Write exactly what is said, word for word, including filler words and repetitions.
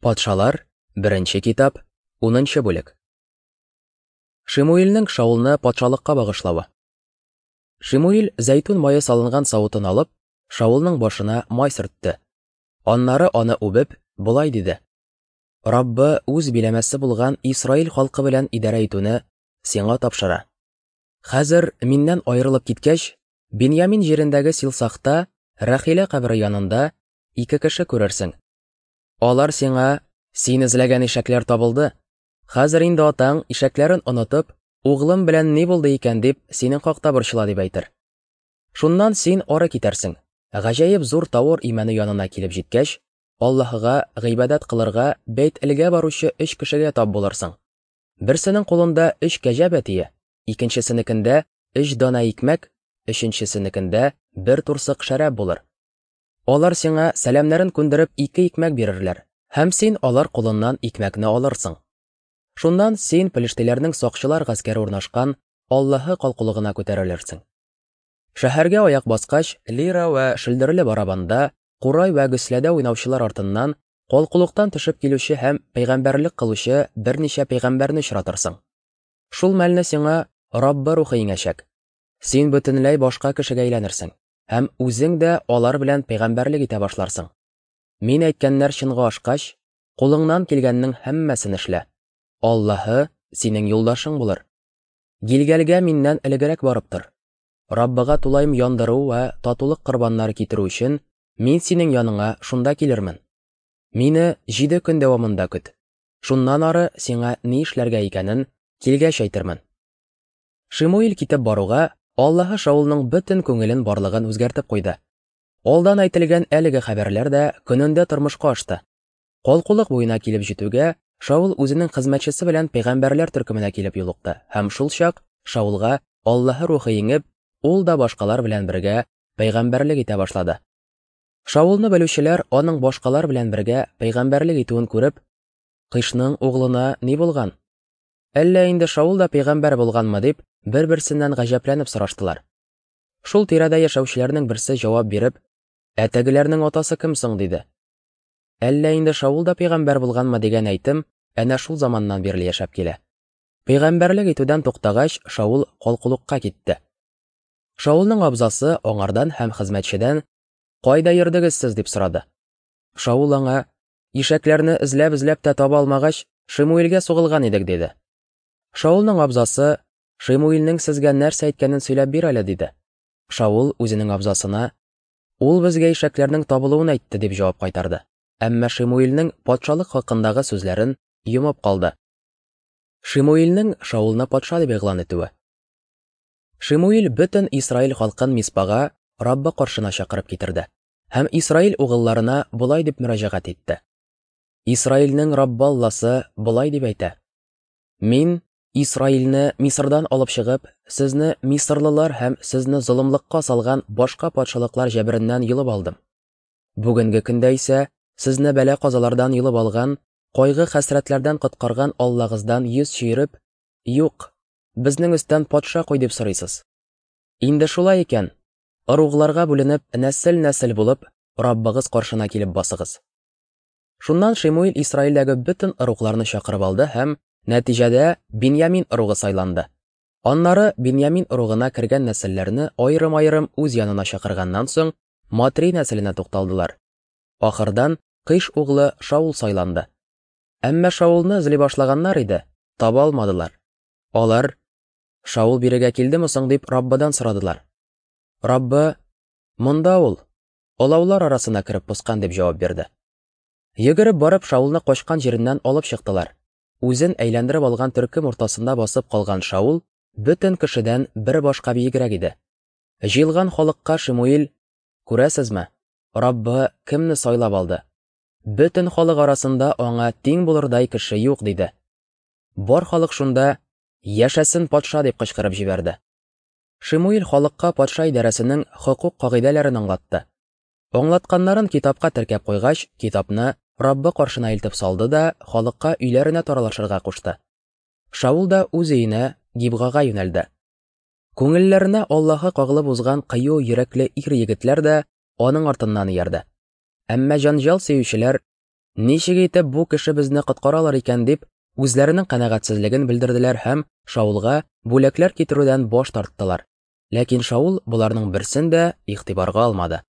Патшалар, беренче китап, унынчы бүлек. Шимуилнең Шаулны патшалыкка багышлавы. Шимуил зәйтүн мае салынган савытын алып, Шаулның башына май сөртте. Аннары аны үбеп, болай диде: Раббы үз биләмәсе булган Исраил халкы белән идарә итүне сиңа тапшыра. Хәзер миннән аерылып киткәч, Беньямин җирендәге Силсахта, Рәхилә кабере янында ике кеше күрерсең. Алар сиңа: "Син эзләгән ишәкләр табылды. Хәзер инде атаң ишәкләрен онытып, углым белән ни булды икән дип, синең хакта борчыла", дип әйтер. Шуннан син ары китәрсең. Гаҗәеп зур Тавор имәне янына килеп җиткәч, Аллаһыга гыйбадәт кылырга Бәйт-Элгә баручы өч кешегә тап булырсың. Берсенең кулында өч кәҗә бәтие, икенчесенекендә өч дана икмәк, өченчесенекендә бер турсык шәраб булыр. Алар сиңа сәламнәрен күндереп ике икмәк бирерләр, һәм син алар кулыннан икмәкне алырсың. Шуннан син пелештиләрнең сакчылар гаскәре урнашкан Аллаһы калкулыгына күтәрелерсең. Шәһәргә аяк баскач, лира вә шөлдерле барабанда, курай вә гөсләдә уйнаучылар артыннан калкулыктан төшеп килүче һәм пәйгамбәрлек кылучы берничә пәйгамбәрне очратырсың. Шул мәлне сиңа Раббы рухы иңәчәк. Син бөтенләй башка кешегә әйләнерсең һәм үзең дә алар белән пәйгамбәрлек итә башларсың. Мин әйткәннәр чынга ашкач, кулыңнан килгәннең һәммәсен эшлә. Аллаһы синең юлдашың булыр. Гилгәлгә миннән элегрәк барып тор. Раббыга тулаем яндыру вә татулык корбаннары китерү өчен мин синең яныңа шунда килермен. Мине җиде көн дәвамында көт. Шуннан ары сиңа ни эшләргә икәнен килгәч әйтермен. Шимуил китеп баруга, Аллаһы Шаулның бөтен күңелен барлыгын үзгәртеп куйды. Алдан әйтелгән әлеге хәбәрләр дә көнендә тормышка ашты. Калкулык буена килеп җитүгә, Шаул үзенең хезмәтчесе белән пәйгамбәрләр төркеменә килеп юлыкты, һәм шул чак Шаулга Аллаһы рухы иңеп, ул да башкалар белән бергә пәйгамбәрлек итә башлады. Шаулны белүчеләр аның башкалар белән бергә пәйгамбәрлек итүен күреп, "Кыйшның углына ни булган? Әллә инде Шаул да пәйгамбәр булганмы?" дип, бер-берсеннән гаҗәпләнеп сораштылар. Шул тирәдә яшәүчеләрнең берсе җавап биреп, "Ә тегеләрнең атасы кем соң?" диде. Әллә инде Шаул да пәйгамбәр булганмы дигән әйтем әнә шул заманнан бирле яшәп килә. Пәйгамбәрлек итүдән туктагач, Шаул калкулыкка китте. Шаулның абзасы аңардан һәм хезмәтчедән: "Кайда йөрдегез сез?" дип сорады. Шаул аңа: "Ишәкләрне эзләп-эзләп тә таба алмагач, Шимуилгә сугылган идек", диде. Шаулның абзасы: "Шимуилнең сезгә нәрсә әйткәнен сөйләп бир әле", диде. Шаул үзенең абзасына: "Ул безгә ишәкләрнең табылуын әйтте", дип җавап кайтарды. Әмма Шимуилнең патшалык хакындагы сүзләрен йомып калды. Шимуилнең Шаулны патша дип игълан итүе. Шимуил бөтен Исраил халкын Миспага, Раббы каршына чакырып китерде һәм Исраил угылларына болай дип мөрәҗәгать итте: Исраилнең Раббы Алласы болай дип әйтә: Мин Исраилне Мисырдан алып чыгып, сезне мисырлылар һәм сезне золымлыкка салган башка патшалыклар җәбереннән йолып алдым. Бүгенге көндә исә сезне бәла-казалардан йолып алган, кайгы-хәсрәтләрдән коткарган Аллагыздан йөз чөереп, "Юк, безнең өстән патша куй" дип сорыйсыз. Инде шулай икән, ыругларга бүленеп, нәсел-нәсел булып, Раббыгыз каршына килеп басыгыз. Шуннан Шимуил Исраилдәге бөтен ыругларны чакырып алды һәм нәтиҗәдә Беньямин ыругы сайланды. Аннары Беньямин ыругына кергән нәселләрне аерым-аерым үз янына чакырганнан соң, Матри нәселенә тукталдылар. Ахырдан Кыйш углы Шаул сайланды. Әмма Шаулны эзли башлаганнар иде, таба алмадылар. Алар: "Шаул бирегә килдеме соң?" дип Раббыдан сорадылар. Раббы: "Монда ул, олаулар арасына кереп поскан", дип җавап бирде. Йөгереп барып Шаулны качкан җиреннән алып чыктылар. Үзен әйләндереп алган төркем уртасында басып калган Шаул бөтен кешедән бер башка биегрәк иде. Җыелган халыкка Шимуил: "Күрәсезме, Раббы кемне сайлап алды? Бөтен халык арасында аңа тиң булырдай кеше юк", диде. Бар халык шунда: "Яшәсен патша!" дип кычкырып җибәрде. Шимуил халыкка патша идарәсенең хокук кагыйдәләрен аңлатты. Аңлатканнарын китапка теркәп куйгач, китапны Раббы каршына илтеп салды да халыкка өйләренә таралышырга кушты. Шаул да үз өенә, Гибгага юнәлде. Күңелләренә Аллаһы кагылып узган кыю йөрәкле ир егетләр дә аның артыннан иярде. Әмма җанҗал сөючеләр Ничек итеп бу кеше безне коткара алыр икән дип, үзләренең канәгатьсезлеген белдерделәр һәм Шаулга бүләкләр китерүдән баш тарттылар. Ләкин Шаул боларның берсен дә игътибарга алмады.